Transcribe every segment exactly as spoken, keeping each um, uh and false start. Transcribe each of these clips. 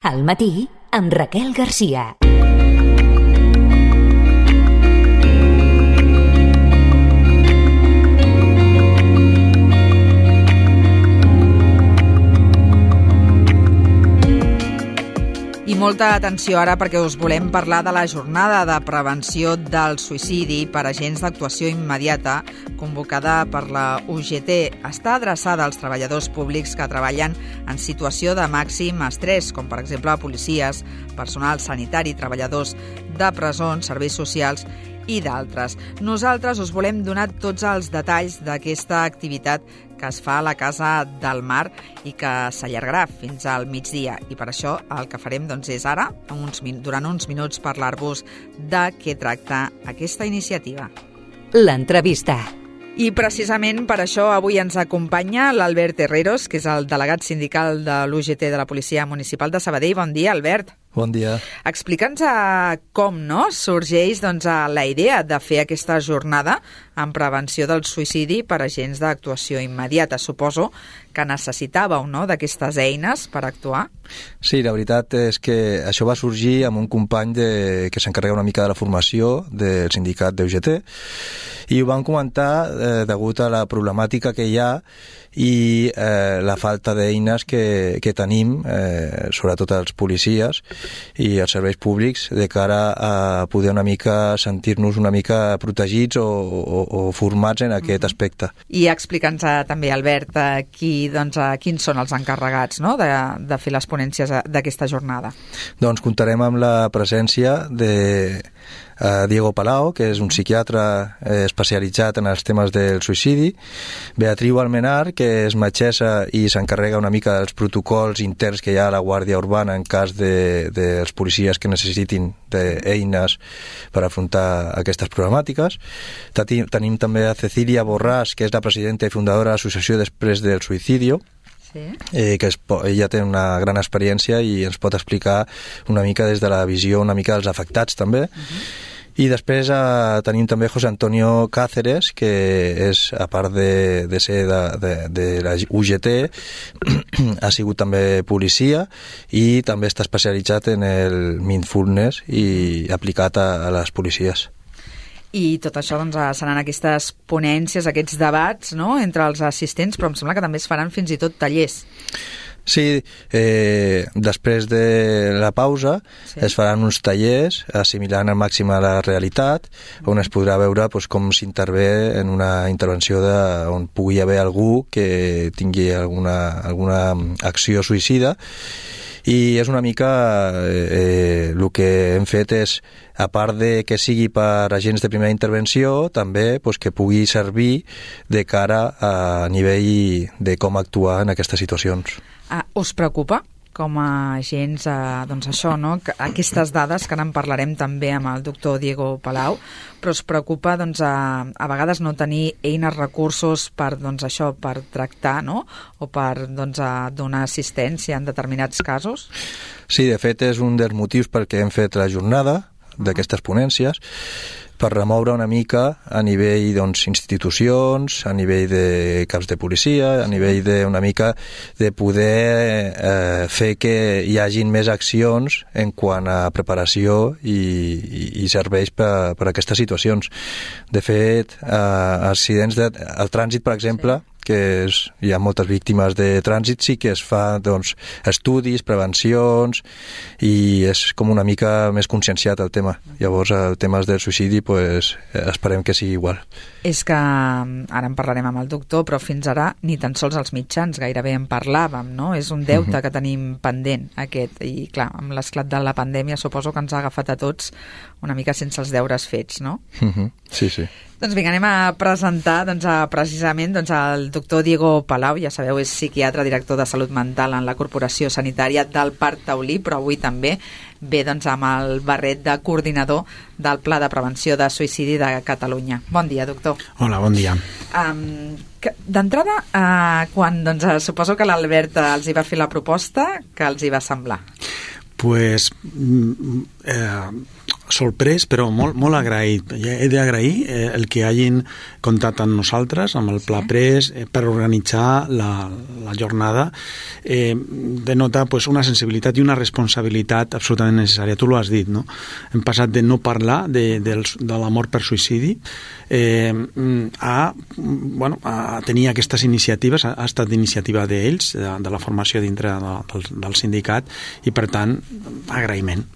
Al matí, amb Raquel Garcia. I molta atenció ara perquè us volem parlar de la jornada de prevenció del suïcidi per agents d'actuació immediata convocada per la U G T. Està adreçada als treballadors públics que treballen en situació de màxim estrès, com per exemple policies, personal sanitari, treballadors de presons, serveis socials i d'altres. Nosaltres us volem donar tots els detalls d'aquesta activitat que es fa a la Casa del Mar i que s'allargarà fins al migdia. I per això el que farem doncs, és ara, uns, durant uns minuts, parlar-vos de què tracta aquesta iniciativa. L'entrevista. I precisament per això avui ens acompanya l'Albert Herreros, que és el delegat sindical de l'U G T de la Policia Municipal de Sabadell. Bon dia, Albert. Bon dia. Explica'ns com no sorgeix doncs, la idea de fer aquesta jornada en prevenció del suïcidi per agents d'actuació immediata. Suposo que necessitàveu no, d'aquestes eines per actuar. Sí, la veritat és que això va sorgir amb un company de, que s'encarrega una mica de la formació del sindicat d'U G T i ho van comentar eh, degut a la problemàtica que hi ha i eh, la falta d'eines que, que tenim, eh, sobretot els policies i els serveis públics, de cara a poder una mica sentir-nos una mica protegits o, o, o formats en aquest aspecte. I explica'ns també, Albert, qui, doncs, quins són els encarregats no? de, de fer les ponències d'aquesta jornada. Doncs comptarem amb la presència de Uh, Diego Palau, que és un psiquiatre eh, especialitzat en els temes del suïcidi, Beatriu Almenar, que és metgessa i s'encarrega una mica dels protocols interns que hi ha a la Guàrdia Urbana en cas de, dels policies que necessitin d'eines per afrontar aquestes problemàtiques. Tenim, tenim també a Cecilia Borràs, que és la presidenta i fundadora de l'Associació Després del Suïcidio, Sí. Eh, que es, ella té una gran experiència i ens pot explicar una mica des de la visió una mica dels afectats també. Uh-huh. I després eh, tenim també José Antonio Cáceres, que és, a part de, de ser de, de, de la U G T, ha sigut també policia i també està especialitzat en el mindfulness i aplicat a, a les policies. I tot això doncs, seran aquestes ponències, aquests debats no? entre els assistents, però em sembla que també es faran fins i tot tallers. Sí, eh, després de la pausa sí. es faran uns tallers assimilant al màxim a la realitat, on es podrà veure pues, com s'intervé en una intervenció de, on pugui haver algú que tingui alguna, alguna acció suïcida. I és una mica eh, el que hem fet és, a part de que sigui per agents de primera intervenció, també pues, que pugui servir de cara a nivell de com actuar en aquestes situacions. Ah, us preocupa com a agents, eh, doncs això, no? Aquestes dades, que ara en parlarem també amb el doctor Diego Palau, però us preocupa doncs, a, a vegades no tenir eines, recursos per, doncs, això, per tractar no? o per doncs, a donar assistència en determinats casos? Sí, de fet és un dels motius perquè hem fet la jornada d'aquestes ponències, per remoure una mica a nivell doncs, institucions, a nivell de caps de policia, a nivell de una mica de poder eh, fer que hi hagin més accions en quant a preparació i, i, i serveis per, per a aquestes situacions. De fet, eh, accidents de, al trànsit, per exemple, sí. que és, hi ha moltes víctimes de trànsit, sí que es fa doncs, estudis, prevencions i és com una mica més conscienciat el tema. Llavors el tema del suïcidi pues, esperem que sigui igual. És que ara en parlarem amb el doctor, però fins ara ni tan sols els mitjans gairebé en parlàvem, no? És un deute uh-huh. que tenim pendent aquest, i clar, amb l'esclat de la pandèmia suposo que ens ha agafat a tots una mica sense els deures fets, no? Uh-huh. Sí, sí. Doncs vinga, anem a presentar doncs, a, precisament doncs, el doctor Diego Palau, ja sabeu, és psiquiatre, director de Salut Mental en la Corporació Sanitària del Parc Taulí, però avui també ve doncs, amb el barret de coordinador del Pla de Prevenció de Suïcidi de Catalunya. Bon dia, doctor. Hola, bon dia. Um, D'entrada, uh, quan doncs, suposo que l'Albert els hi va fer la proposta, que els hi va semblar? Pues... Eh, sorprès, però molt, molt agraït. He d'agrair eh, el que hagin comptat amb nosaltres, amb el Pla Pres, eh, per organitzar la, la jornada. Eh, denota pues, una sensibilitat i una responsabilitat absolutament necessària. Tu l'ho has dit, no? Hem passat de no parlar de, de, de l'amor per suïcidi eh, a, bueno, a tenir aquestes iniciatives. Ha, ha estat iniciativa d'ells, de, de la formació dintre de, del, del sindicat, i per tant, agraïment.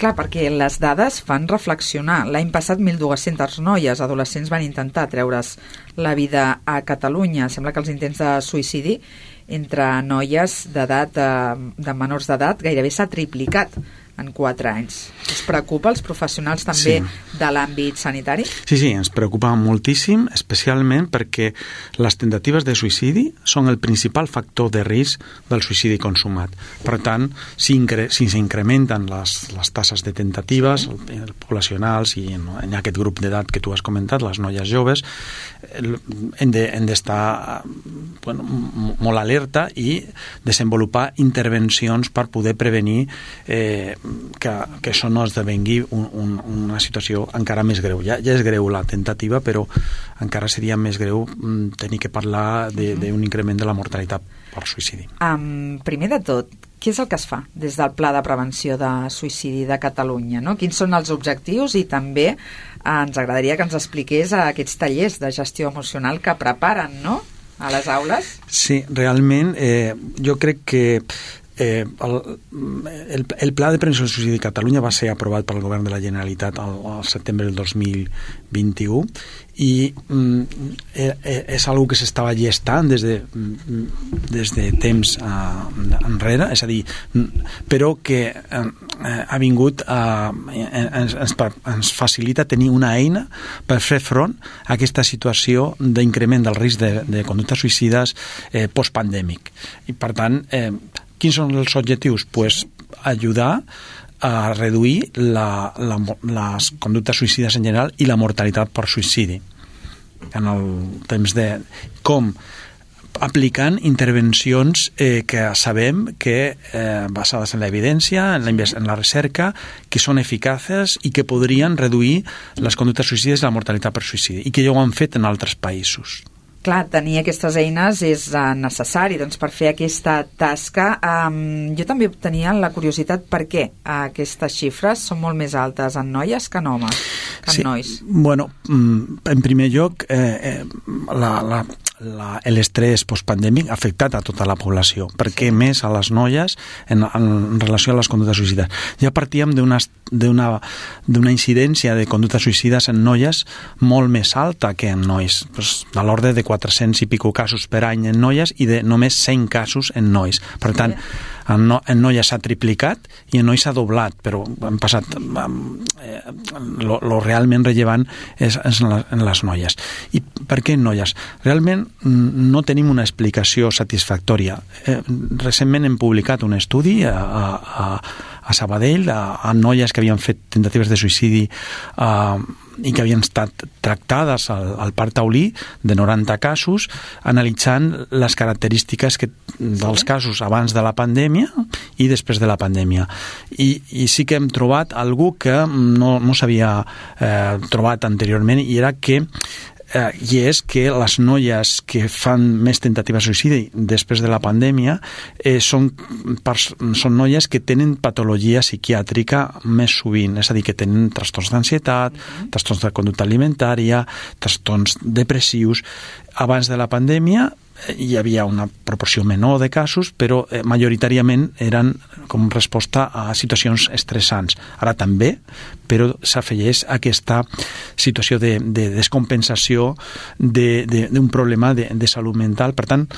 Clar, perquè les dades fan reflexionar. L'any passat mil dues-centes noies adolescents van intentar treure's la vida a Catalunya. Sembla que els intents de suïcidi entre noies d'edat, de menors d'edat, gairebé s'ha triplicat en quatre anys. Us preocupa els professionals també sí. de l'àmbit sanitari? Sí, sí, ens preocupa moltíssim, especialment perquè les tentatives de suïcidi són el principal factor de risc del suïcidi consumat. Per tant, si, incre si s'incrementen les, les tasses de tentatives sí. poblacionals i en, en aquest grup d'edat que tu has comentat, les noies joves, hem d'estar de, bueno, molt alerta i desenvolupar intervencions per poder prevenir eh, que, que això no esdevengui un, un, una situació encara més greu. Ja, ja és greu la tentativa, però encara seria més greu tenir que parlar d'un increment de la mortalitat per suïcidi. Um, primer de tot, què és el que es fa des del Pla de Prevenció de Suïcidi de Catalunya? No? Quins són els objectius? I també eh, ens agradaria que ens expliqués a aquests tallers de gestió emocional que preparen, no?, a les aules. Sí, realment eh, jo crec que Eh, el, el, el Pla de Prevenció del Suïcidi de Catalunya va ser aprovat pel Govern de la Generalitat al, al setembre del dos mil vint-i-u i mm, eh, és algo que s'estava gestant des de, des de temps eh, enrere, és a dir, però que eh, ha vingut a, ens, ens, ens facilita tenir una eina per fer front a aquesta situació d'increment del risc de, de conductes suïcides eh, postpandèmic. I per tant, eh, quins són els objectius? Pues ajudar a reduir la, la, les conductes suïcides en general i la mortalitat per suïcidi. En el temps de com aplicant intervencions eh, que sabem que eh, basades en l'evidència, en, la, en la recerca, que són eficaces i que podrien reduir les conductes suïcides i la mortalitat per suïcidi, i que ja ho han fet en altres països. Clar, tenir aquestes eines és uh, necessari doncs, per fer aquesta tasca. Um, jo també tenia la curiositat per què aquestes xifres són molt més altes en noies que en homes, que en sí. nois. Bueno, en primer lloc, eh, eh, la, la, la, l'estrès postpandèmic ha afectat a tota la població, perquè sí. més a les noies en, en relació a les conductes suïcides. Ja partíem d'una d'una incidència de conductes suïcides en noies molt més alta que en nois, pues, de l'ordre de quatre-cents i pico casos per any en noies i de només cent casos en nois. Per tant, en, no, en noies s'ha triplicat i en nois s'ha doblat, però han passat eh, lo, lo realment rellevant és, és en, la, en les noies. I per què en noies? Realment no tenim una explicació satisfactòria. Eh, recentment hem publicat un estudi a, a, a Sabadell a, a noies que havien fet tentatives de suïcidi eh, i que havien estat tractades al, al parc taulí de noranta casos, analitzant les característiques que, dels casos abans de la pandèmia i després de la pandèmia. I, i sí que hem trobat algú que no, no s'havia eh, trobat anteriorment, i era que Eh, i és que les noies que fan més tentatives de suïcidi després de la pandèmia eh, són, són noies que tenen patologia psiquiàtrica més sovint, és a dir, que tenen trastorns d'ansietat, mm-hmm. trastorns de conducta alimentària, trastorns depressius. Abans de la pandèmia hi havia una proporció menor de casos, però eh, majoritàriament eren com resposta a situacions estressants. Ara també, però s'afegeix aquesta situació de, de descompensació d'un de, de, problema de, de salut mental. Per tant,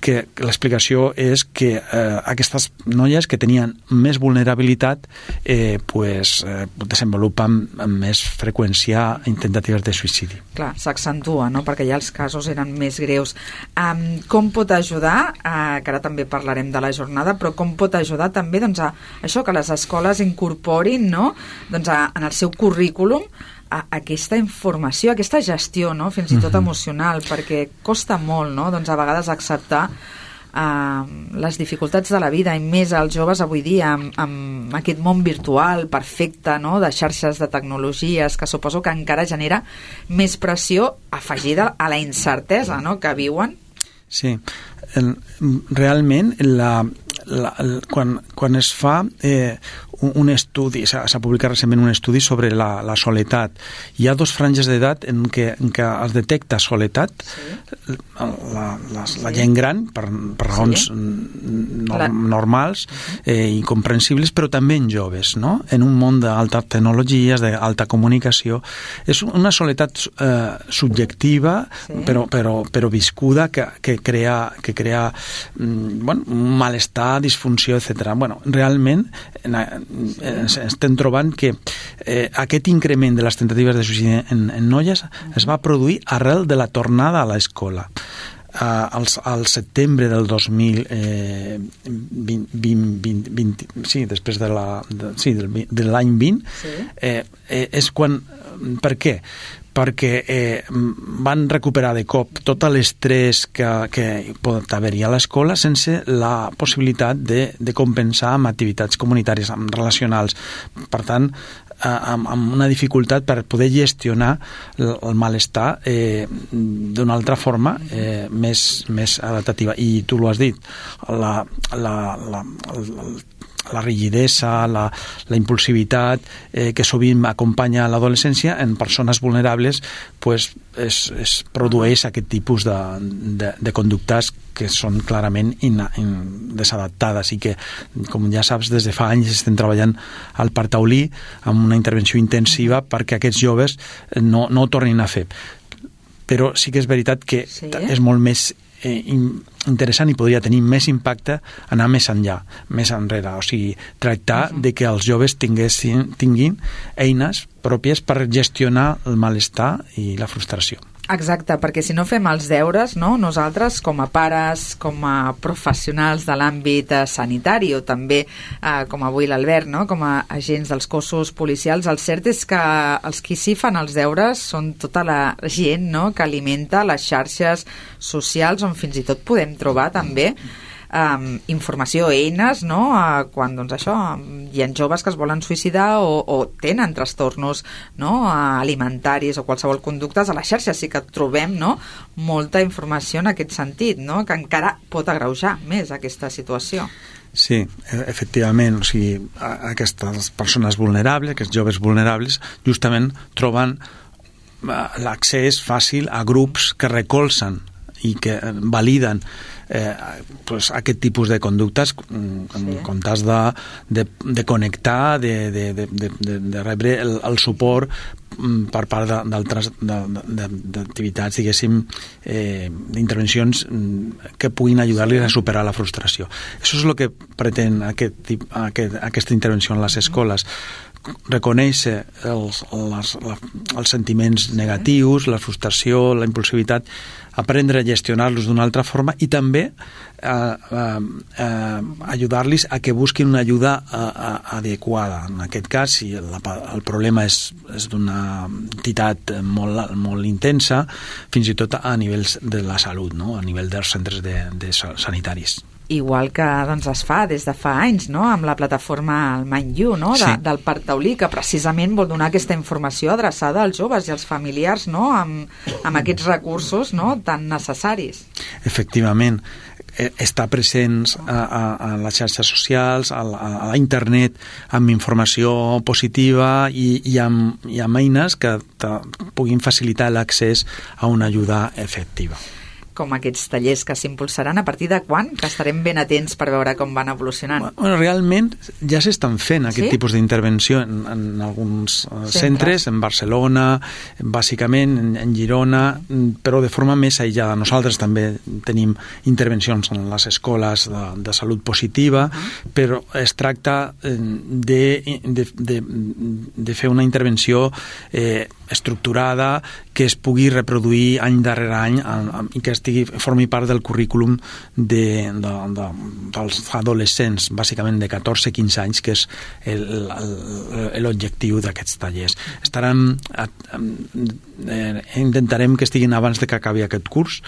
que l'explicació és que eh, aquestes noies que tenien més vulnerabilitat eh, pues, eh, desenvolupen amb més freqüència tentatives de suïcidi. Clar, s'accentua, no?, perquè ja els casos eren més greus. Um, com pot ajudar, uh, que ara també parlarem de la jornada, però com pot ajudar també doncs, a això, que les escoles incorporin, no?, doncs, a, en el seu currículum a aquesta informació, aquesta gestió, no?, fins i tot emocional, perquè costa molt, no?, doncs a vegades acceptar eh, les dificultats de la vida, i més els joves avui dia amb, amb aquest món virtual perfecte, no?, de xarxes de tecnologies, que suposo que encara genera més pressió afegida a la incertesa, no?, que viuen. Sí, realment la, la, quan, quan es fa eh, un estudi, s'ha publicat recentment un estudi sobre la, la soledat, hi ha dos franges d'edat en què, en què es detecta soledat, sí. la, la, la gent gran per, per raons sí. no, la... normals eh, i comprensibles, però també en joves, no?, en un món d'altes tecnologies, d'alta comunicació. És una soledat eh, subjectiva, sí. però, però, però viscuda, que, que crea, que crea bueno, un malestar, disfunció, etcètera. Bueno, realment en, en, estem trobant que eh, aquest increment de les tentatives de suïcidi en, en noies es va produir arrel de la tornada a l'escola. Uh, al, al setembre del dos mil vint, vint, vint, vint, sí, després de la, de, sí, del, de l'any vint, sí. eh, eh, és quan... Per què? Perquè eh, van recuperar de cop tot l'estrès que, que pot haver-hi a l'escola sense la possibilitat de, de compensar amb activitats comunitàries, amb relacionals. Per tant, eh, amb, amb una dificultat per poder gestionar el, el malestar eh, d'una altra forma eh, més, més adaptativa. I tu l'ho has dit, la, la, la, la, la rigidesa, la, la impulsivitat eh, que sovint acompanya l'adolescència en persones vulnerables, pues, es, es produeix aquest tipus de, de, de conductes que són clarament in, in, desadaptades i que, com ja saps, des de fa anys estem treballant al Parc Taulí amb una intervenció intensiva perquè aquests joves no, no ho tornin a fer. Però sí que és veritat que sí. és molt més eh, interessant i podria tenir més impacte anar més enllà, més enrere, o sigui, tractar uh-huh. de que els joves tinguessin, tinguin eines pròpies per gestionar el malestar i la frustració. Exacte, perquè si no fem els deures, no? Nosaltres com a pares, com a professionals de l'àmbit sanitari o també eh, com avui l'Albert, no? Com a agents dels cossos policials, el cert és que els qui sí fan els deures són tota la gent, no?, que alimenta les xarxes socials on fins i tot podem trobar també Um, informació, eines, no?, uh, quan, doncs això, hi ha joves que es volen suïcidar o, o tenen trastornos, no?, uh, alimentaris o qualsevol conductes. A la xarxa sí que trobem, no?, molta informació en aquest sentit, no?, que encara pot agreujar més aquesta situació. Sí, efectivament, o sigui, aquestes persones vulnerables, aquests joves vulnerables, justament troben l'accés fàcil a grups que recolzen i que validen Eh, pues, aquest tipus de conductes en sí. comptes de, de, de connectar, de, de, de, de, de rebre el, el suport per part d'altres d'activitats, diguéssim, eh, d'intervencions que puguin ajudar-los a superar la frustració. Això és el que pretén aquest, aquest, aquesta intervenció en les escoles, reconèixer els, les, els sentiments negatius, la frustració, la impulsivitat, aprendre a gestionar-los d'una altra forma i també eh, eh, eh, ajudar-los a que busquin una ajuda a, a, adequada. En aquest cas, si el, el problema és, és d'una entitat molt, molt intensa, fins i tot a nivells de la salut, no?, a nivell dels centres de, de sanitaris. Igual que doncs, es fa des de fa anys, no?, amb la plataforma Mind You, no?, de, sí. del Parc Taulí, que precisament vol donar aquesta informació adreçada als joves i als familiars, no?, amb, amb aquests recursos, no?, tan necessaris. Efectivament, estar presents a, a, a les xarxes socials, a, a, a la internet, amb informació positiva i, i, amb, i amb eines que te puguin facilitar l'accés a una ajuda efectiva. Com aquests tallers que s'impulsaran, a partir de quan? Que estarem ben atents per veure com van evolucionant. Bueno, realment ja s'estan fent aquest sí? tipus d'intervenció en, en alguns centres, centres, en Barcelona, bàsicament en, en Girona, però de forma més aïllada. Nosaltres també tenim intervencions en les escoles de, de salut positiva, uh-huh. però es tracta de, de, de, de fer una intervenció eh, estructurada que es pugui reproduir any darrere any i que estigui, formi part del currículum de, de, de, dels adolescents, bàsicament de catorze a quinze anys, que és l'objectiu d'aquests tallers. Estarem, eh, intentarem que estiguin abans de que acabi aquest curs,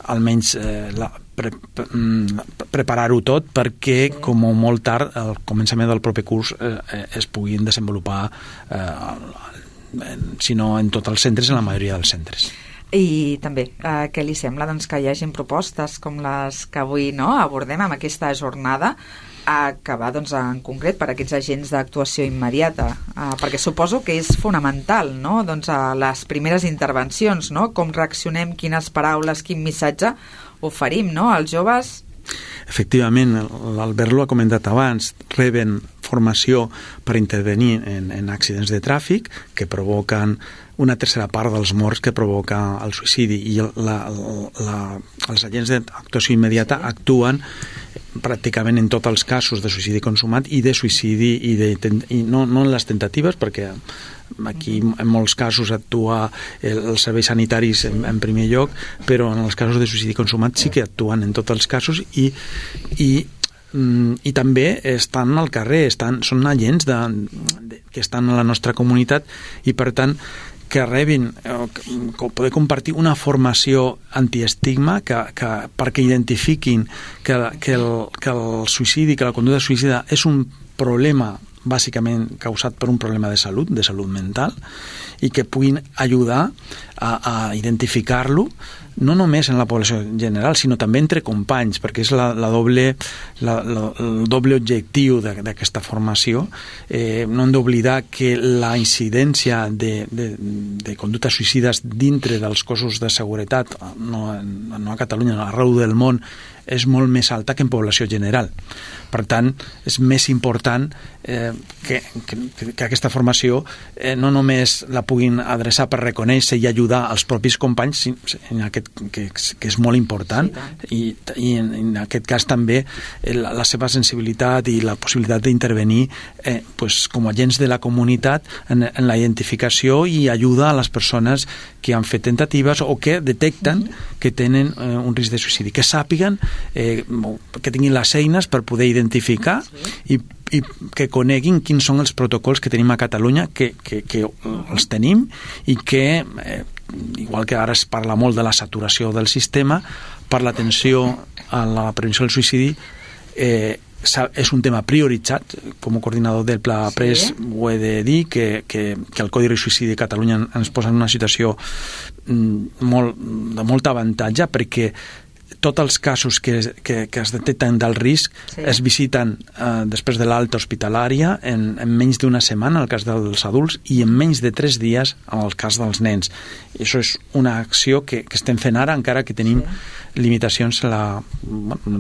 almenys eh, la, pre, pre, preparar-ho tot perquè, com molt tard, al començament del proper curs eh, es puguin desenvolupar, eh, si no en tots els centres, en la majoria dels centres. I també, eh, què li sembla doncs, que hi hagin propostes com les que avui no, abordem amb aquesta jornada, a acabar doncs, en concret per aquests agents d'actuació immediata, eh, perquè suposo que és fonamental, no? Doncs, a les primeres intervencions, no? Com reaccionem, quines paraules, quin missatge oferim, no? als joves. Efectivament, l'Albert ho ha comentat abans, reben formació per intervenir en, en accidents de tràfic que provoquen una tercera part dels morts que provoca el suïcidi, i la, la, els agents d'actuació immediata sí. actuen pràcticament en tots els casos de suïcidi consumat i de suïcidi, i, de, i no, no en les tentatives, perquè aquí en molts casos actua els serveis sanitaris en, en primer lloc, però en els casos de suïcidi consumat sí que actuen en tots els casos, i, i i també estan al carrer, estan, són agents de, de, que estan a la nostra comunitat, i per tant que rebin, que poder compartir una formació antiestigma que, que, perquè identifiquin que, que, el, que el suïcidi, que la conducta suïcida és un problema bàsicament causat per un problema de salut, de salut mental, i que puguin ajudar a, a identificar-lo, no només en la població general, sinó també entre companys, perquè és la, la doble, la, la, el doble objectiu d'aquesta formació. Eh, no hem d'oblidar que la incidència de, de, de conductes suïcides dintre dels cossos de seguretat, no, no a Catalunya, arreu del món, és molt més alta que en població general. Per tant, és més important eh, que, que, que aquesta formació eh, no només la puguin adreçar per reconèixer i ajudar als propis companys, en aquest, que, que és molt important, sí, i, i en, en aquest cas també eh, la, la seva sensibilitat i la possibilitat d'intervenir eh, pues, com a agents de la comunitat en, en la identificació i ajuda a les persones que han fet tentatives o que detecten uh-huh. que tenen eh, un risc de suïcidi, que sàpiguen eh, que tinguin les eines per poder identificar i, i que coneguin quins són els protocols que tenim a Catalunya, que, que, que els tenim, i que eh, igual que ara es parla molt de la saturació del sistema, per l'atenció a la prevenció del suïcidi eh, és un tema prioritzat. Com a coordinador del Pla sí. Pres ho he de dir, que, que, que el Codi de Suïcidi de Catalunya ens posa en una situació molt, de molt avantatge, perquè tots els casos que, que, que es detecten del risc sí. es visiten eh, després de l'alta hospitalària en, en menys d'una setmana, en el cas dels adults, i en menys de tres dies en el cas dels nens. I això és una acció que, que estem fent ara, encara que tenim sí. limitacions en, la, en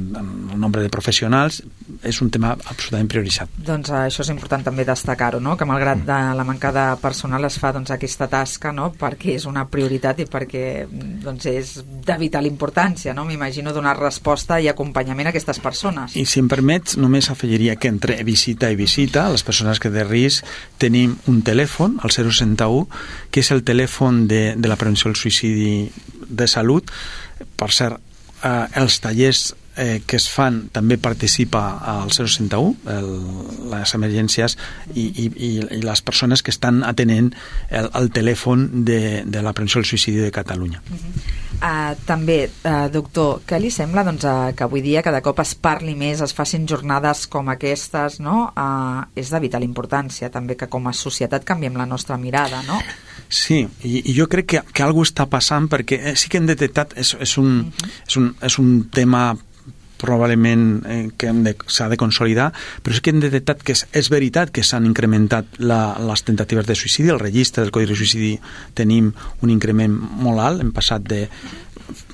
el nombre de professionals. És un tema absolutament prioritzat. Doncs eh, això és important també destacar-ho, no? Que malgrat de la manca de personal es fa doncs, aquesta tasca, no? Perquè és una prioritat i perquè doncs, és de vital importància, no? M'imagino donar resposta i acompanyament a aquestes persones. I si em permets, només afegiria que entre visita i visita, les persones que de risc, tenim un telèfon, el zero seixanta u, que és el telèfon de, de la prevenció del suïcidi de salut. Per cert, eh, els tallers eh, que es fan també participa al zero seixanta u, el, les emergències i, i, i, i les persones que estan atenent el, el telèfon de, de la prevenció del suïcidi de Catalunya. Uh-huh. Uh, també, uh, doctor, què li sembla doncs, uh, que avui dia cada cop es parli més, es facin jornades com aquestes, no? Uh, és de vital importància també que com a societat canviem la nostra mirada, no? Sí, i, i jo crec que, que alguna cosa està passant, perquè eh, sí que hem detectat, és, és, un, uh-huh. és, un, és un tema probablement eh, que s'ha de consolidar, però sí que hem detectat que és, és veritat que s'han incrementat la, les tentatives de suïcidi. El registre del Codi de Suïcidi tenim un increment molt alt, hem passat de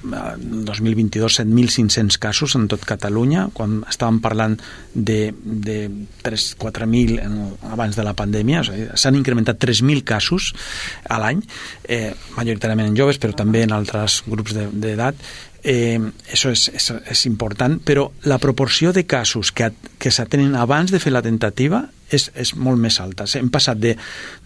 dos mil vint-i-dos set mil cinc-cents casos en tot Catalunya, quan estàvem parlant de, de tres quatre mil abans de la pandèmia. O sigui, s'han incrementat tres mil casos a l'any, eh, majoritàriament en joves, però també en altres grups d'edat. Eh, això és, és, és important, però la proporció de casos que, que s'atenen abans de fer la tentativa és, és molt més alta. Hem passat de,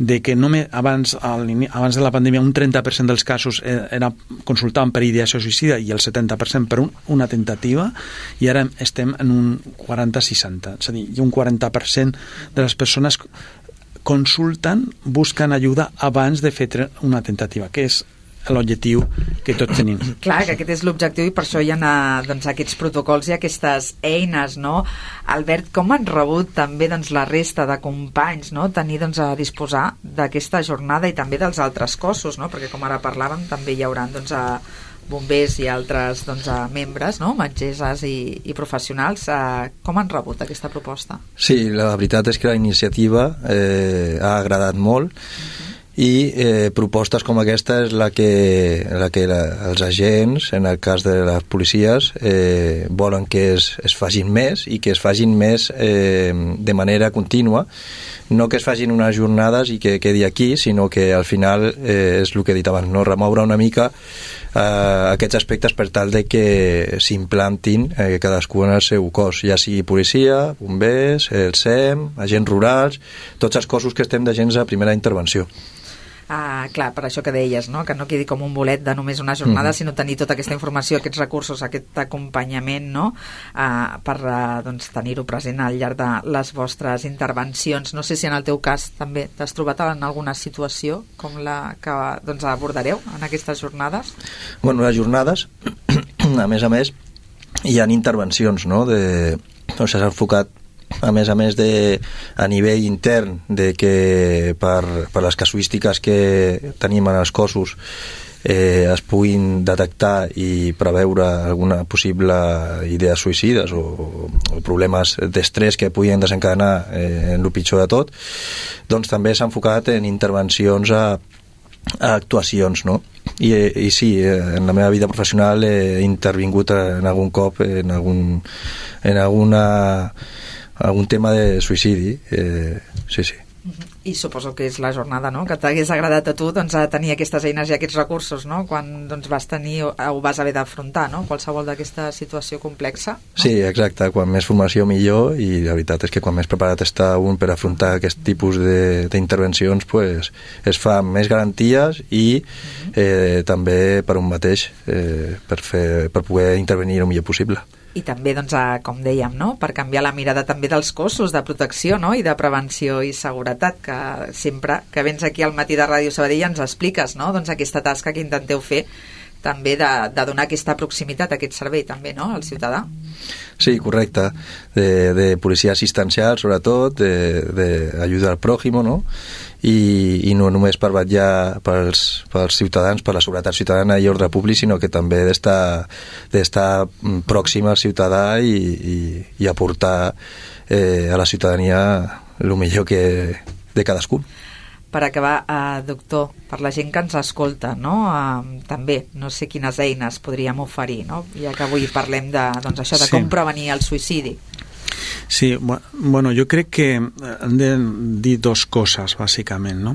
de que només abans, abans de la pandèmia un trenta per cent dels casos era consultaven per ideació suïcida i el setanta per cent per un, una tentativa, i ara estem en un quaranta seixanta. És a dir, hi ha un quaranta per cent de les persones consulten, busquen ajuda abans de fer una tentativa, que és l'objectiu que tots tenim. Clar, que aquest és l'objectiu i per això hi ha doncs, aquests protocols i aquestes eines, no? Albert, com han rebut també doncs, la resta de companys, no? Tenir doncs, a disposar d'aquesta jornada i també dels altres cossos, no? Perquè com ara parlàvem també hi haurà doncs, a bombers i altres doncs, a membres, no? Metgesses i, i professionals. Eh, com han rebut aquesta proposta? Sí, la veritat és que la iniciativa eh, ha agradat molt. Uh-huh. I eh, propostes com aquesta és la que, la que la, els agents, en el cas de les policies, eh, volen que es, es facin més i que es facin més eh, de manera contínua, no que es facin unes jornades i que quedi aquí, sinó que al final eh, és el que he dit abans, no? Remoure una mica eh, aquests aspectes per tal de que s'implantin eh, cadascú en el seu cos, ja sigui policia, bombers, el S E M, agents rurals, tots els cossos que estem d'agents a primera intervenció. Ah, clar, per això que deies, no? Que no quedi com un bolet de només una jornada, mm. sinó tenir tota aquesta informació, aquests recursos, aquest acompanyament, no? Ah, per uh, doncs, tenir-ho present al llarg de les vostres intervencions. No sé si en el teu cas també t'has trobat en alguna situació com la que doncs, abordareu en aquestes jornades? Bueno, les jornades, a més a més, hi ha intervencions, no? De, o sigui, s'ha enfocat a més a més de a nivell intern de que per, per les casuístiques que tenim en els cossos eh, es puguin detectar i preveure alguna possible idea suïcides o, o problemes d'estrès que puguin desencadenar eh, en el pitjor de tot, doncs també s'ha enfocat en intervencions a, a actuacions, no? I, i sí, en la meva vida professional he intervingut en algun cop en, algun, en alguna algun tema de suïcidi, eh, sí, sí. I suposo que és la jornada, no?, que t'hagués agradat a tu doncs, a tenir aquestes eines i aquests recursos, no?, quan doncs, vas tenir o, o vas haver d'afrontar, no?, qualsevol d'aquesta situació complexa. No? Sí, exacte, quan més formació millor, i la veritat és que quan més preparat està un per afrontar aquest tipus d'intervencions, pues, es fa més garanties i eh, també per un mateix eh, per, fer, per poder intervenir el millor possible. I també, doncs, a, com dèiem, no? Per canviar la mirada també dels cossos de protecció, no? I de prevenció i seguretat, que sempre que vens aquí al Matí de Ràdio Sabadell ens expliques, no? Doncs aquesta tasca que intenteu fer també de, de donar aquesta proximitat, aquest servei també, no?, al ciutadà. Sí, correcte, de, de policia assistencial sobretot, d'ajuda al pròximo, no?, i, i no només per vetllar pels, pels ciutadans, per la seguretat ciutadana i ordre públic, sinó que també d'estar d'estar pròxim al ciutadà i, i, i aportar eh, a la ciutadania el millor que de cadascú. Per acabar, eh, doctor, per la gent que ens escolta, no? Eh, també, no sé quines eines podríem oferir, no? Ja que avui parlem de, doncs això, de sí. com prevenir el suïcidi. Sí, bueno, jo crec que hem de dir dos coses, bàsicament, no?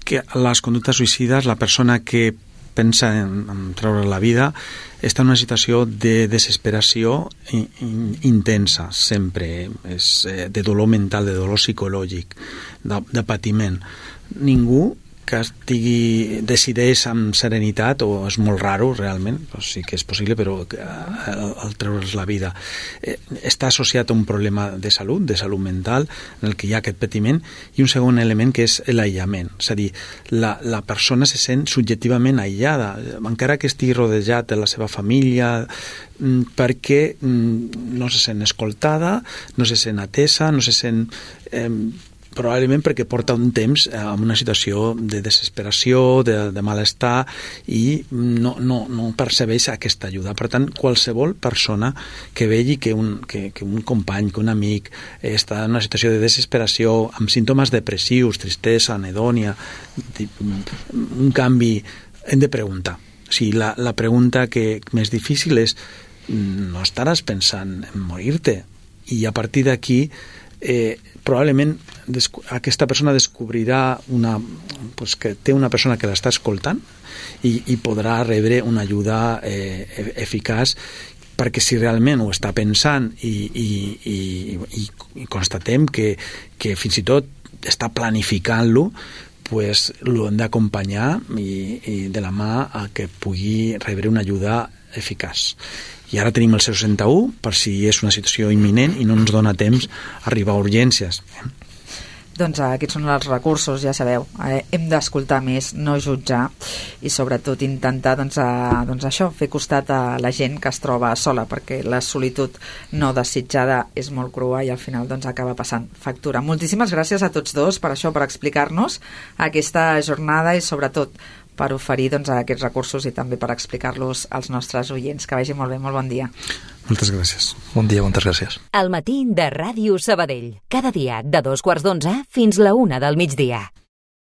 Que les conductes suïcides, la persona que pensa en, en treure la vida està en una situació de desesperació in, in, intensa, sempre, és de dolor mental, de dolor psicològic, de, de patiment. Ningú que estigui, decideix amb serenitat, o és molt raro realment, però sí que és possible, però el, el treure's la vida eh, està associat a un problema de salut, de salut mental, en el que hi ha aquest patiment, i un segon element que és l'aïllament, és a dir, la, la persona se sent subjectivament aïllada, encara que estigui rodejat de la seva família, perquè no se sent escoltada, no se sent atesa, no se sent... Eh, probablement perquè porta un temps en una situació de desesperació, de, de malestar, i no, no, no percebeix aquesta ajuda. Per tant, qualsevol persona que vegi que un, que, que un company, que un amic està en una situació de desesperació, amb símptomes depressius, tristesa, anhedònia, un canvi, hem de preguntar. O sigui, la, la pregunta que més difícil és: no estaràs pensant en morir-te? I a partir d'aquí eh, probablement aquesta persona descobrirà una, pues, que té una persona que l'està escoltant i, i podrà rebre una ajuda eh, eficaç, perquè si realment ho està pensant i, i, i, i, i constatem que, que fins i tot està planificant-lo, pues, lo hem d'acompanyar i, i de la mà a que pugui rebre una ajuda eficaç. I ara tenim el zero seixanta u per si és una situació imminent i no ens dona temps a arribar a urgències. Doncs aquests són els recursos, ja sabeu, eh, hem d'escoltar més, no jutjar, i sobretot intentar doncs, a, doncs això, fer costat a la gent que es troba sola, perquè la solitud no desitjada és molt crua i al final doncs, acaba passant factura. Moltíssimes gràcies a tots dos per això, per explicar-nos aquesta jornada i sobretot per oferir doncs, aquests recursos i també per explicar-los als nostres oients. Que vagi molt bé, molt bon dia. Moltes gràcies. Bon dia, moltes gràcies. Al matí de Ràdio Sabadell. Cada dia de dos quarts d'onze fins la una del migdia.